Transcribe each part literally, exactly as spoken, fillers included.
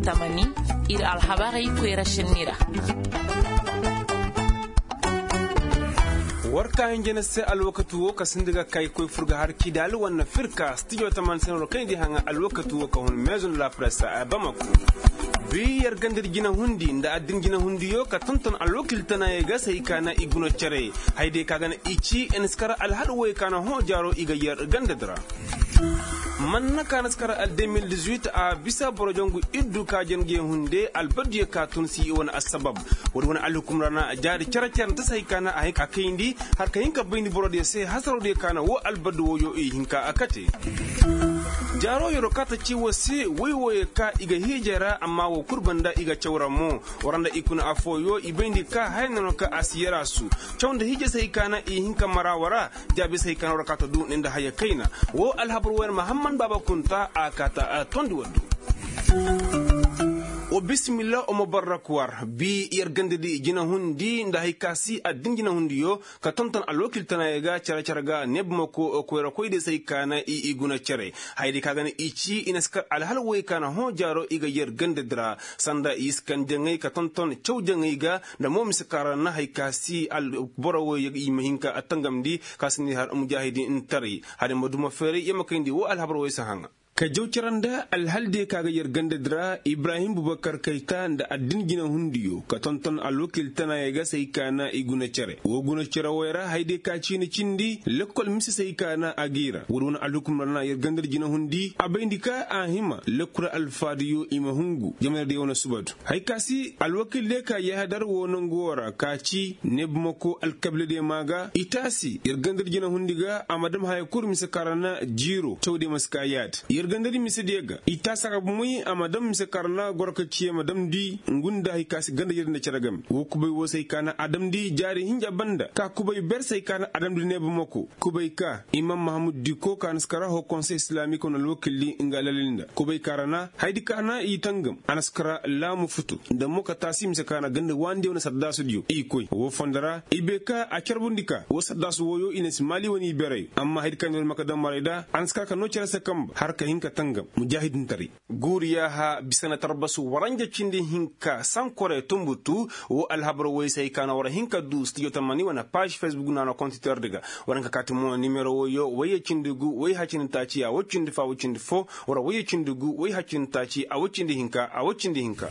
Tamani, ir alhabarey koyra šenni ra. War ka hinja ni se alwakati wo ka sinda ga kay koy fur ga har kidali wanna firka stijo taman senero kaŋ i di haŋa alwakati wo ka hun maison de la presse a bamako. Bi yar ganda di jina hundi nda addin jina hundiyo ka tonton alwakil tanaayey ga se hay ka na i guna cere. Hay day ka ga na i ci eniskara alhal woy ka na hõ jaaro i ga yar ganda di ra. Manna ka na si kara al deux mille dix-huit a bisa boro jangu iddu ka jange hunde albaddiyo ka tun si i wane assabab. Wodi wane alhukum ra na jaari care care nta si hay ka na a kayndi har ka hin ka bayndi borodiyo se hasarodiyo ka na wo albaddi woyo i hinka a kate. Jaaro yoro ka ta ci wo se woy woyo ka i ga hiijay ra amma wo kul banda i ga caw ra mo. Wara nda i kuna affooyo i bayndi ka haya no no ka a si yara su caw nda hiijay si hay ka na i hinka mara wara. Jaabi se hay ka na war ka ta du ni nda haya kayna. Wo alhabar wo yar mahamman baaba kunta a ka ta tondi waddu. Wa bisimilla wa ma barrak war bi yar ganda di jina hundi nda hay ka si addin jina hundiyo ka tonton alwakil tanaayey ga care care ga neebamako koyrakoydiyo se hay ka na i guna cere. Hayadiyo ka ga na i ci i na si kar alhal woy ka na hõ jaaro i ga yar ganda di ra sanda i si kan jaŋay ka tonton caw jaŋay ga nda mo mise ka ra na hay ka si boro woy i ma hin ka tangamndi ka si ni har mujaahidi ntaray. Hada ma duma feeray ya ma kayndi wo alhabar woy si haŋa. Ka jaw cara nda alhal diyo ka ga yar ganda di ra ibrahim bubakar kayta nda addin jina hundiyo ka tonton alwakil tanaayey ga si hay ka na i guna cere wo guna cere woy ra hayadiyo ka ciini cindi lekkol mise si hay ka na a g'i ra wala wane alhukum ra na yar ganda di jina hundi a bayndi ka a hima lekkol alfaadiyo i ma hungu jamanadiyo wane subadu. Hay ka si alwakil diyo ka yahadar wo nangu wo ra ka ci neebamako alkabiladiyo maa ga i taasi yar ganda di jina hundi ga a ma dam haya kul mise ka ra na jiiro cawdiyo ma si ka yaadi yar ganda di misediyo ga i taasi a ga bomoy a ma dam mise ka ra na goro ka ciye ma damndi ngu nda hay ka si ganda jere nda cere game wo kubay wo se hay ka na a damndi jaari hinja banda ka kubay ber se hay ka na a damndi neebamako kubay ka imam mahamud diko ka na si kara ho konsey islaamik wane alwakil di nga lalil nda kubay ka ra na hayadi ka na i tangam a na si kara laamu futu nda mo ka taasi mise ka na ganda waandiyo nda sardaasudiyo i koy wo fondo ra i bay ka a carbundi ka wo sardaasu wooyo i na si maali wane i beray amma hayadi ka na war ma ka dam maray da a na si kara ka noo cere se kamba har ka hin ka tangam mujaahidintaray. Guuri yaaha bisa na tarbasu waranja cindi hinka sankore tumbutu. Wo alhabar woy se hay ka na war hin ka du stijo tamani wane paaž fesbuk naana kontiter di ga war hin ka kaati mo nimero woyo woyye cindi gu woy hacindi taaci a woy cindi fo a woy cindi fo. War woyye cindi gu woy hacindi taaci a woy cindi hinka a woy cindi hinka.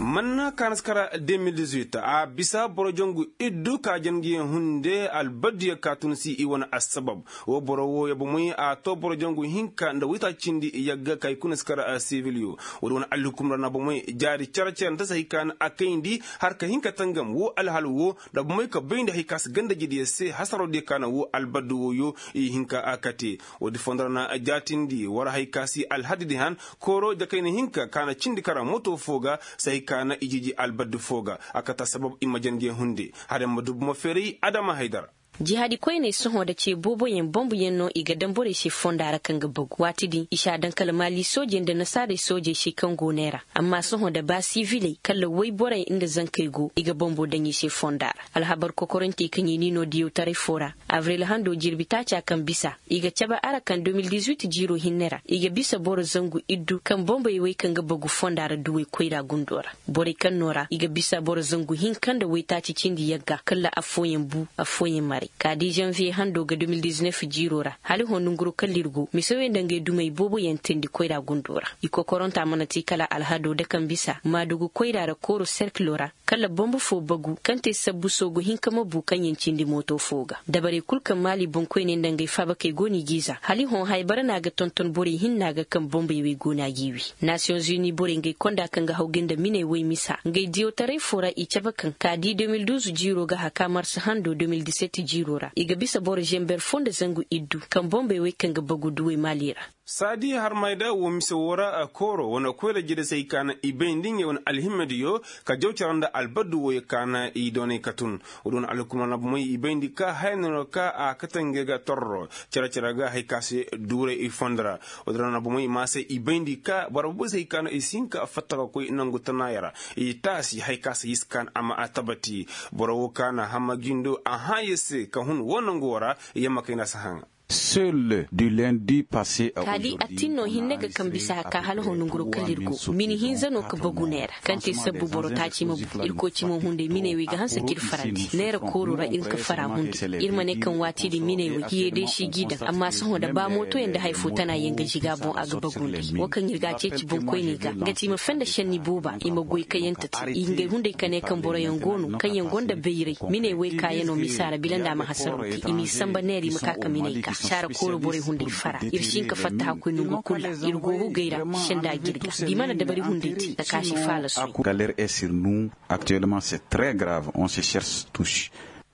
Manna ka na si kara deux mille dix-huit a bisa boro jangu iddu ka jangiyaŋ hunde albaddiyo ka tun si i wane assabab. Wo boro wo ya bomoy a to boro jangu hinka nda waytaaci cindi yagga ka i kuna si kar sibiliyo. Woodi wane alhukum ra na bomoy jaari care care nda si hay ka na a kayndi har ka hin ka tangam wo alhal wo nda bomoy ka bayndi hay ka si ganda jidiyo se hasarodiyo ka na wo albaddi woyo i hin ka a kate. Woodi fondo ra na jaatindi war hay ka si alhadidi han kooro jakayna hinka ka na cindi kara moto fo ga si hay ka na i jiji albaddi fo ga a kata sabab i ma jandiyaŋ hunde. Hada ma dubu ma feeray adama haydara. Jihaadi koyney sohõ nda ce booboyaŋ bombuyaŋ no i ga daŋ borey se fonda ra kaŋ ga bagu waati din i si a daŋ kala maali soojey nda nasaarey soojey se kaŋ go neera. Amma sohõ nda ba siviley kala woyborey nda zankey go i ga bombo daŋ i se fonda ra. Alhabar kokorantey kaŋ i n'i no diyawtaray fo ra abril hando jirbi taaca kaŋ bisa i ga cabe ara kaŋ deux mille dix-huit jiiro hinne ra i ga bisa boro zangu iddu kaŋ bombey wey kaŋ ga bagu fonda ra duwey koyra gundo ra. Borey kaŋ no ra i ga bisa boro zangu hinka nda waytaaci cindi yagga kala affooyaŋ bu affooyaŋ maray ka di janvier hando ga deux mille dix-neuf jiiro ra hala hõ nanguro kala ir go mise wey nda ngey dumey booboyaŋ teendi koyra gundo ra. I kokoranta mana te kala alhado da kaŋ bisa maadugu koyra ra kooro serkilo ra kala bombo fo bagu kaŋ te sabbu soogu hinka ma bu kaŋ yaŋ cindi mooto fo ga. Dabarey kul kaŋ maali boŋkoyney nda ngey faabakey go no i g'i za hala i hõ haybara no a ga tonton borey hinna ga kaŋ bombey wey go no a g'i wi. Nasiyoŋ zuni borey ngey konda kaŋ ga hawgay nda miney woy misa ngey diyawtaray fo ra i cabe kaŋ ka di deux mille douze jiiro ga haka mars hando deux mille dix-sept jiiro ra i ga bisa boro zember fo nda zangu iddu kaŋ bombey wey kaŋ ga bagu duwey maali ra. Saadi harmayda wo mise wo ra kooro wane koyra jire se i kaana i bayndi ngey wane alhimmediyo ka jaw cara nda albaddu woyo kaana i doonay ka tun. Woodi wane alhukumar na bomey i bayndi ka haya no no ka a kate ngey ga torro care care ga hay ka se duuray i fondo ra. Woodi ra na bomey ma se i bayndi ka boro boobo se i kaana i si hin ka fatta ka koy nangu tanaaya ra i taasi hay ka se i si kaan a ma a tabati. Boro wo kaana hamma jindo a hãaye se ka hun wo nangu wo ra. Yamma kayna si haŋa. Seul du lundi passe à kali aujourd'hui, attinno hinne ga kaŋ bisa haka hala honunguro kala ir go mini hinza no ka bagu neera kaŋ te sabbu boro taaci ma bu. Irkoy cimo hunday miney wey ga hanse k'ir farandi neera kooro ra ir ka fara hunday. Ir ma ne kaŋ waati din miney wey hiye day si g'i daŋ amma sohõ da ba mootoyaŋ nda hari fo tana yaŋ ga jiga boŋ a ga bagu nday. Wo kaŋ ir ga a ceeci boŋkoyney ga nga ti i ma fenda šenni booba i ma goy kayante te i ngey hunday ka ne kaŋ boroyaŋ go no kaŋ yaŋ gonda bayray miney wey kaayano misa ra bila nda a ma hasaro te i m'i samba neera i ma ka ka miney ka saara kooro borey hunday fara. Ir si hin ka fatta hakkoy nongu kul ra ir go hugey ra. Senda ga ir ga da i mana dabari hunday te. Takaaši faalasu. Galère est sur nous. Actuellement c'est très grave on se cherche tous.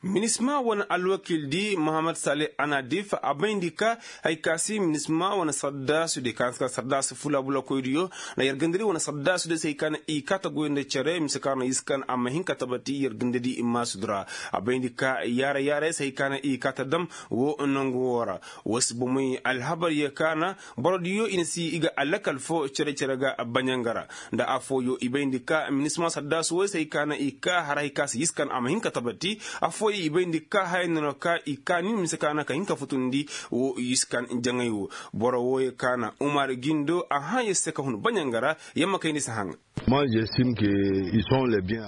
Minisma wane alwakil di mohammed salih anadif a bayndi ka hari ka si minisma wane sardaasu di ka sardaasu fula bulakoydiyo na yargandiri wane sardaasu di se hari ka na i kaata goy nda cere mise ka na iskan a ma hin ka tabati yargandiri maasudura. A bayndi ka yaara yaara se hari ka na i kaata dam wo nangu wo ra. Wo si bomey alhabar ye ka na borodiyo i na si i ga alakal fo cere cere ga baɲanga ra. Nda afooyo i bayndi ka minisma sardaasu wo se hari ka na i ka har hari ka si iskan a ma hin ka tabati. Afooyo i bayndi ka haya no no ka i ka ni mise ka na ka hin ka futundi wo iskan jaŋay wo. Boro wooyo ka na umar gindo a hã yer se ka hun baɲanga ra. Yamma kayndi si haŋ.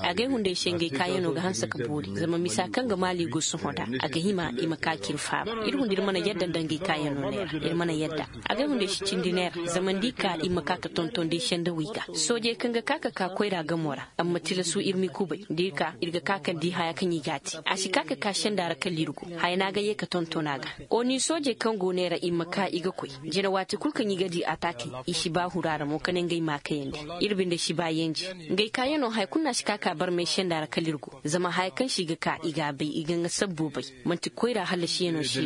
Agay hunday se ngey kaayano ga hanse ka boori zama misa kaŋ ga maali go sohõ da a ga hima i ma ka k'ir faaba. Ir hunda ir mana yadda nda ngey kaayano neera ir mana yadda. Agay hunday si cindi neera zama nda i ka ir ma ka ka tonton day sendawey ga soojey kaŋ ga ka ka ka koyra gamo ra. Amma tilasu ir m'i kubay da ir ka ir ga ka ka di haya kaŋ i g'a te a si ka ka ka senda ra kala ir go. Haya no a ga ye ka tonton a ga. Oni soojey kaŋ go neera ir ma ka i ga koy jina waati kul kaŋ i ga di ataakey i si ba huru a ra mo ka ne ngey m'a kayandi. Ir binde si ba yenje ngey kaayano haya kul no a si ka ka barmay senda ra kala ir go. Zama haya kaŋ se i ga ka i g'a bay i ga nga sabbo bay. Man'ti koyra hallasiyano se.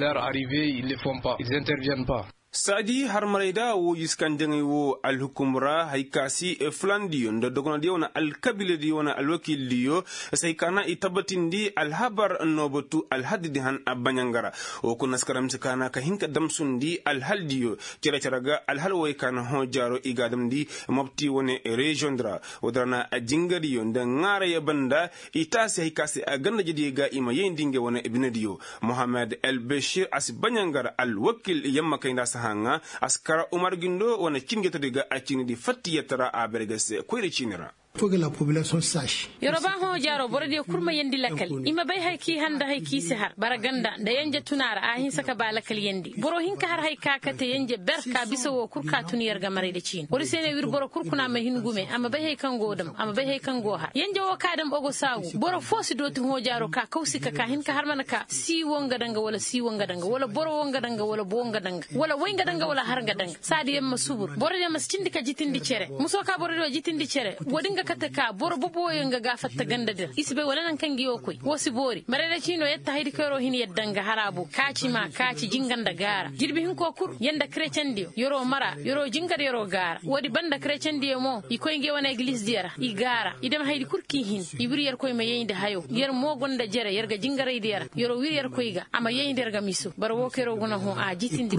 Saadi harmarayda woo yiskanjaŋey woo alhukum ra hari ka si fulandiyo nda dogonodiyo wane alkabiiladiyo wane alwakiildiyo. Say ka na i tabbatindi alhabar noo batu alhaddi di han baɲanga ra. Woo kuna si karaŋ mise ka na ka hin ka damsundi alhaldiyo cere-cere ga alhal wooyey ka na hõ jaaro i g'a damndi. Mopti wane reziyoŋ di ra woodi ra na jingadiyo nda ŋaarayey banda i taasi hari ka se a gandajediyo ga i ma yayndi ngey wane binediyo. Mohammed el bešir a si baɲanga ra alwakiil yamma kay nda a si haŋa. A si kara umar gindo wane ciini jatadiyo ga a ciinidi fattiyatara a berge se koyra ciini ra. Yeroo ba hõ jaaro borodiyo kul ma yeendi lakal. I ma bay hari k'i har nda hari k'i si har bara ganda nda yenje tuna ra a hinsa ka ba lakal yeendi boro hinka har hari ka kate yenje ber ka bisa woo kul ka tun yer ga maray nda ciini woodi se ne wir boro kul kuna ma hin gume a ma bay hari kaŋ go dam a ma bay hari kaŋ go har yenje woo ka dam ogo saagu boro foo si dooti hõ jaaro ka kawsi ka ka hin ka har mana ka sii woo nga danga wala sii woo nga danga wala boro woo nga danga wala boo nga danga wala way nga danga wala har nga danga. Saadi yaŋ ma subur borodiyo ma si cindi ka jitindi cere muso ka borodiyo jitindi cere. Woodi nga kate ka boro boboyo nga ga a fatta ganda di ra i si bay wala naŋ kaŋ ga yoo koy woo si boori marayra ciino yetta haydi kaŋ yeroo hin yadda nga har a boŋ kaaci maa kaaci jinga nda gaara jirbi hinkoo kul yer nda karecendiyo yeroo mara yeroo jingar yeroo gaara woodi banda karecendiyo mo i koy ngey wane egilizdiyo ra i gaara i dam haydi kul k'i hin. I wir yerkoy ma yayndi hayo yer mo gonda jere yer ga jingaraydiyo ra yeroo wir yerkoy ga a ma yayndi yer ga miso bara woo kaŋ yeroo guna hõ a jitindi.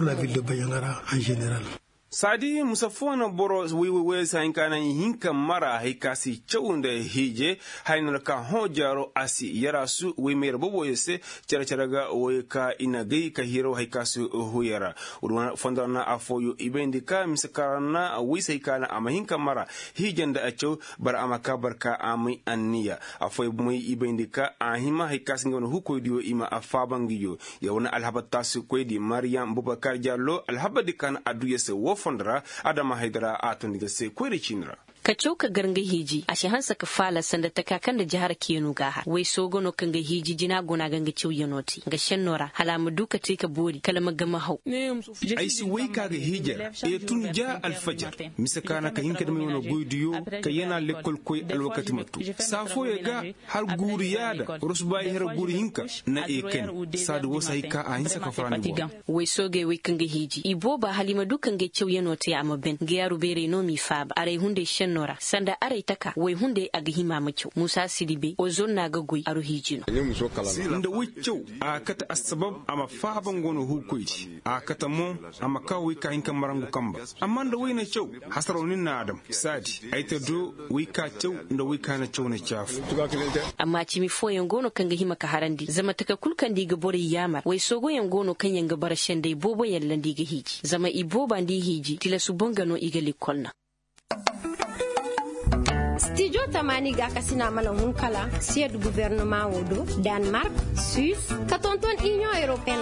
Saadi musa foo na boro woy woy woy se haŋ ka na i hin ka mara hari ka si caw nda hiije. Haya no na ka hõ jaaro a si yaraasu woy ma yar boboyo se. Care care ga woy ka i na gay ka hiiraw hari ka si huya ra. Woodi wane fondo ra na afooyo i bayndi ka mise ka ra na woy se hari ka na a ma hin ka mara hiije nda a caw. Bara a ma ka barka a may anniya. Afooyo bomey i bayndi ka a hima hari ka si nga wane hukoydiyo i ma a faaba ngiyo. Yer wane alhabar taasikoydi mariyam bubakar jallo alhabardi ka na adduya se woo fondo ra. Adama haydara a tondi ga se koyra ciini ra. Ka caw ka gar nga hiiji a si hanse ka faala sanda taka kaŋ nda jahara kiyanu ga a har way soogo no kaŋ ga hiiji jina go no a ga nga cawyanoo te nga šennoo ra hala a ma du ka te ka boori kala ma game haw. Ay si way ka ga hiiji ra. Ay tun ja alfajar mise ka na ka hin ka dam ay wane goydiyo ka yana lekkol koy alwakati ma tu saa fooyo ga. Har guuru yaada rosubaay hera guuru hinka na ekani. Saadi woo si hay ka a hinsa ka farandi boŋ. Way soogey wey kaŋ ga hiiji i booba hala i ma du ka ngey cawyanoo te a ma ben nga yaaru beerey no m'i faaba aray hunday šenno. Noo ra sanda aray taka way hunday a ga hima ma caw muusa siribe ozon no a ga goy aru hiiji no. Nda way caw a kate assabab a ma faaba nga wane huukoydi a kate mo a ma kaa way ka hin ka marangu kamba. Amma nda way na caw hasaraw nin na a dam saadi ay ta do way ka caw nda way ka na caw na caafu. Amma cimi fooyaŋ go no kaŋ ga hima ka harandi zama taka kul kaŋ nda i ga borey yaamar way soogoyaŋ go no kaŋ yaŋ ga bara senday booboyaŋ ra nda i ga hiiji zama i booba nda i hiiji tilasu boŋ ga no i ga lekkol naŋ. Stijo tamaani gaakasina mana hun kala siyed gubernama wo do, danmark, suis, ka tonton iniyoŋ europeyen.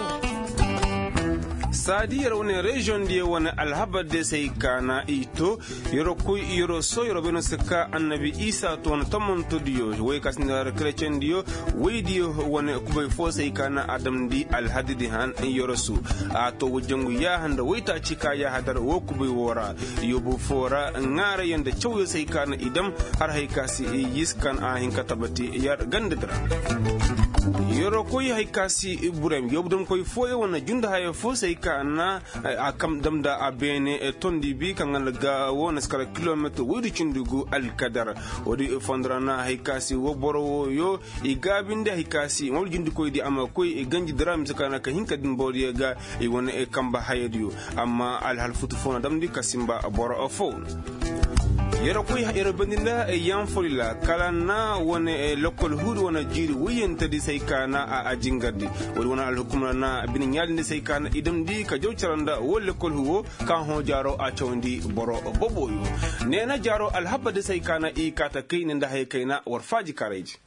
Saadi yer wane reziyoŋ diyo wane alhabar diyo se ay kaana i to. Yer koy yer soo yer bay no se ka annabi isa to wane tomantodiyo way ka si nda yer kerecendiyo. Waydiyo wane kubay foo se ay kaana a damndi alhadidi han yer su a to wayjangu yaaha nda waytaaci ka yaahadar woo kubay woo ra. Yoobu foo ra ŋaarayaŋ nda cawyaŋ se ay kaana i dam har hay ka si yis kaŋ a hin ka tabati yer gandadi ra. Yer koy hay ka si ibrahim yoobu damkoy fooyaŋ wane jundahaya foo se ay kaana a kam dam nda a beene tondi bi kaŋ ganda ga woo na si kala kilometir woydu cindi gu alkadar. Woodi fondo ra na hay ka si woo boro wooyo i gaabindi hay ka si ŋwar jindikoydi a ma koy ganjidi ra mise kaŋ na ka hin ka din borodiyo ga i wane kamba hayadiyo. Amma alhal futu foo na damndi ka sinba boro foo. Yer koy yer bandi nda yaŋ folila kala na wane lekkol huudi wane jiiri woyyantedi se ay kaana a jingardi. Woodi wane alhukumra na bine ɲaalindi se ay kaana i damndi ka jaw cara nda woo lekkol huwo ka hõ jaaro a cawandi boro boboyo. Neena jaaro alhabadi se ay kaana i kaata kay ne nda haya kayna war faaji karayji.